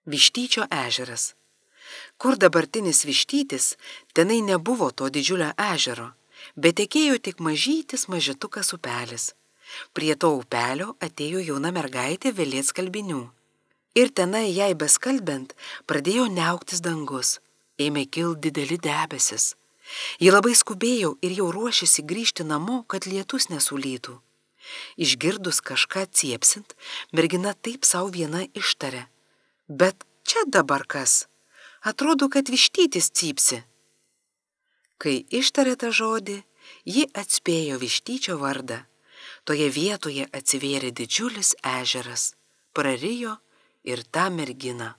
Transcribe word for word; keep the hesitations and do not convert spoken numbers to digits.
Vištyčio ežeras. Kur dabartinis Vištytis, tenai nebuvo to didžiulio ežero, bet tekėjo tik mažytis mažetukas upelis. Prie to upelio atėjo jauna mergaitė velėt skalbinių. Ir tenai jai beskalbent pradėjo niauktis dangus, ėmė kilt dideli debesis. Ji labai skubėjo ir jau ruošėsi grįžti namo, kad lietus nesulytų. Išgirdus kažką ciepsint, mergina taip sau viena ištarė: bet čia dabar kas? Atrodo, kad Vištytis cypsi. Kai ištarė tą žodį, ji atspėjo Vištyčio vardą. Toje vietoje atsivėrė didžiulis ežeras, prarijo ir tą merginą.